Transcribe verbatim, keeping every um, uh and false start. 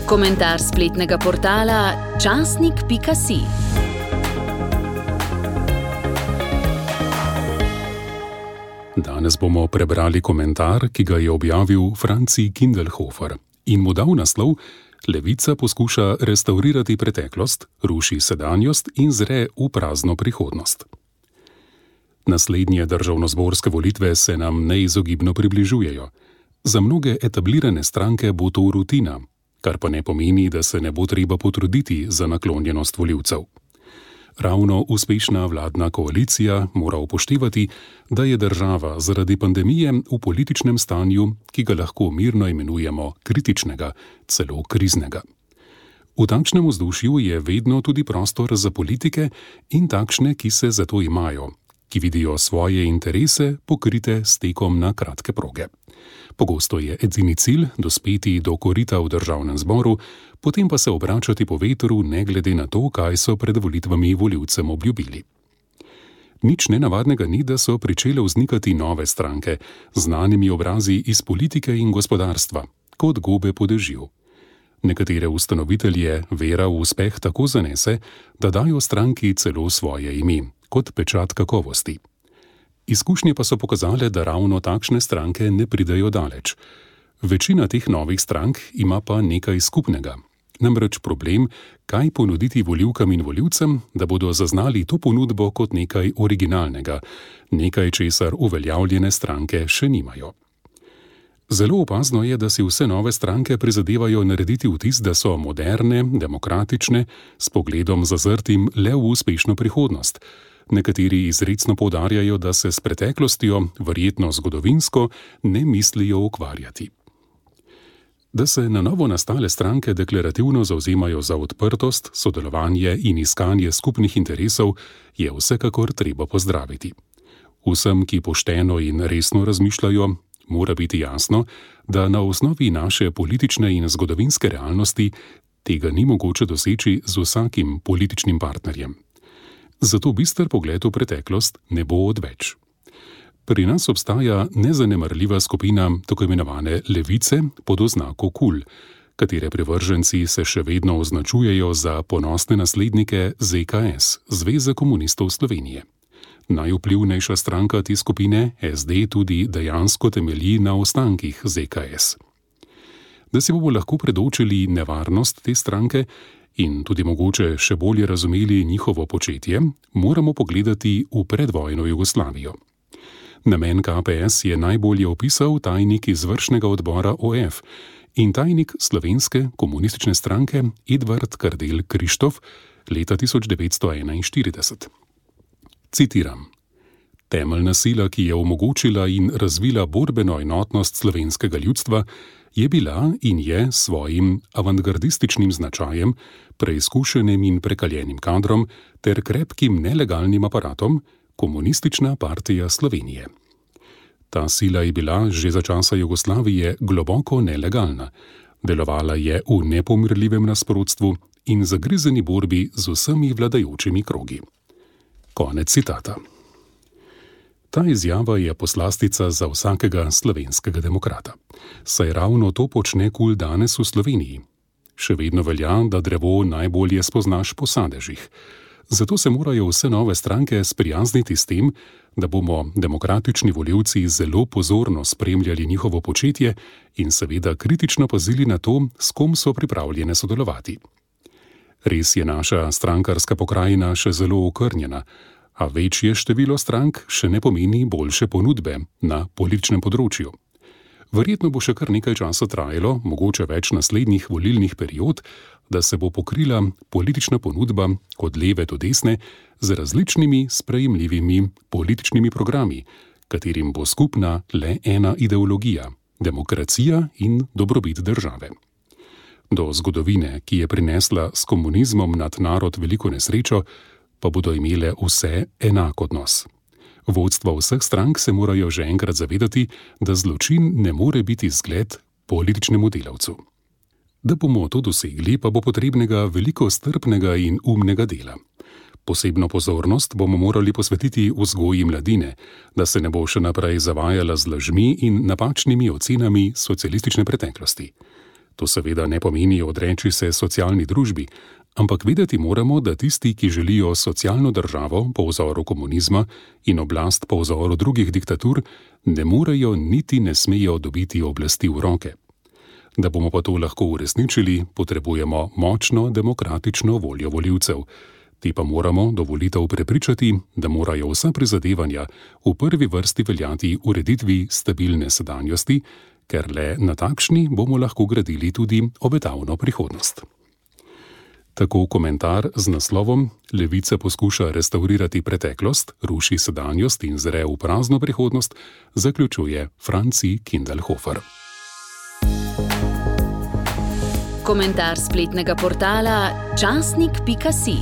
Komentar spletnega portala časnik pika si. Danes bomo prebrali komentar, ki ga je objavil Franci Kindelhofer in mu dal naslov Levica poskuša restavrirati preteklost, ruši sedanjost in zre v prazno prihodnost. Naslednje državnozborske volitve se nam neizogibno približujejo. Za mnoge etablirane stranke bo to rutina, kar pa ne pomeni, da se ne bo treba potruditi za naklonjenost volivcev. Ravno uspešna vladna koalicija mora upoštevati, da je država zaradi pandemije v političnem stanju, ki ga lahko mirno imenujemo kritičnega, celo kriznega. V takšnem vzdušju je vedno tudi prostor za politike in takšne, ki se za to imajo, ki vidijo svoje interese pokrite s tekom na kratke proge. Pogosto je edini cilj dospeti do korita v državnem zboru, potem pa se obračati po vetru ne glede na to, kaj so pred volitvami volivcem obljubili. Nič nenavadnega ni, da so pričele vznikati nove stranke, znanimi obrazi iz politike in gospodarstva, kot gobe po dežju. Nekatere ustanovitelje vera v uspeh tako zanese, da dajo stranki celo svoje ime, kot pečat kakovosti. Izkušnje pa so pokazale, da ravno takšne stranke ne pridejo daleč. Večina teh novih strank ima pa nekaj skupnega. Namreč problem, kaj ponuditi volivkam in volivcem, da bodo zaznali to ponudbo kot nekaj originalnega, nekaj, česar uveljavljene stranke še nimajo. Zelo opazno je, da si vse nove stranke prizadevajo narediti vtis, da so moderne, demokratične, s pogledom zazrtim le v uspešno prihodnost. Nekateri izrecno poudarjajo, da se s preteklostjo, verjetno zgodovinsko, ne mislijo ukvarjati. Da se na novo nastale stranke deklarativno zavzemajo za odprtost, sodelovanje in iskanje skupnih interesov, je vsekakor treba pozdraviti. Vsem, ki pošteno in resno razmišljajo, mora biti jasno, da na osnovi naše politične in zgodovinske realnosti tega ni mogoče doseči z vsakim političnim partnerjem. Zato bister pogled v preteklost ne bo odveč. Pri nas obstaja nezanemarljiva skupina tako imenovane levice pod oznako KUL, katere privrženci se še vedno označujejo za ponosne naslednike Z K S, Zveze komunistov Slovenije. Najvplivnejša stranka te skupine, S D, tudi dejansko temelji na ostankih Z K S. Da si bomo lahko predočili nevarnost te stranke in tudi mogoče še bolje razumeli njihovo početje, moramo pogledati v predvojno Jugoslavijo. Namen K P S je najbolje opisal tajnik izvršnega odbora O F in tajnik Slovenske komunistične stranke Edvard Kardelj Krištof leta tisoč devetsto enainštirideset. Citiram: Temeljna sila, ki je omogočila in razvila borbeno enotnost slovenskega ljudstva, je bila in je s svojim avantgardističnim značajem, preizkušenim in prekaljenim kadrom ter krepkim nelegalnim aparatom Komunistična partija Slovenije. Ta sila je bila že za časa Jugoslavije globoko nelegalna, delovala je v nepomirljivem nasprotstvu in zagrizeni borbi z vsemi vladajočimi krogi. Konec citata. Ta izjava je poslastica za vsakega slovenskega demokrata. Saj ravno to počne KUL danes v Sloveniji. Še vedno velja, da drevo najbolje spoznaš po sadežih. Zato se morajo vse nove stranke sprijazniti s tem, da bomo demokratični volivci zelo pozorno spremljali njihovo početje in seveda kritično pazili na to, s kom so pripravljene sodelovati. Res je naša strankarska pokrajina še zelo okrnjena, a večje število strank še ne pomeni boljše ponudbe na političnem področju. Verjetno bo še kar nekaj časa trajalo, mogoče več naslednjih volilnih period, da se bo pokrila politična ponudba od leve do desne z različnimi sprejemljivimi političnimi programi, katerim bo skupna le ena ideologija – demokracija in dobrobit države. Do zgodovine, ki je prinesla s komunizmom nad narod veliko nesrečo, pa bodo imele vse enak odnos. Vodstva vseh strank se morajo že enkrat zavedati, da zločin ne more biti zgled političnemu delavcu. Da bomo to dosegli, pa bo potrebnega veliko strpnega in umnega dela. Posebno pozornost bomo morali posvetiti vzgoji mladine, da se ne bo še naprej zavajala z lažmi in napačnimi ocenami socialistične preteklosti. To seveda ne pomeni odreči se socialni družbi, ampak vedeti moramo, da tisti, ki želijo socialno državo po vzoru komunizma in oblast po vzoru drugih diktatur, ne morejo niti ne smejo dobiti oblasti v roke. Da bomo pa to lahko uresničili, potrebujemo močno demokratično voljo volivcev. Te pa moramo do volitev prepričati, da morajo vsa prizadevanja v prvi vrsti veljati ureditvi stabilne sedanjosti, ker le na takšni bomo lahko gradili tudi obetavno prihodnost. Tako komentar z naslovom Levica poskuša restavrirati preteklost, ruši sedanjost in zre v prazno prihodnost, zaključuje Franci Kindelhofer. Komentar spletnega portala časnik pika si.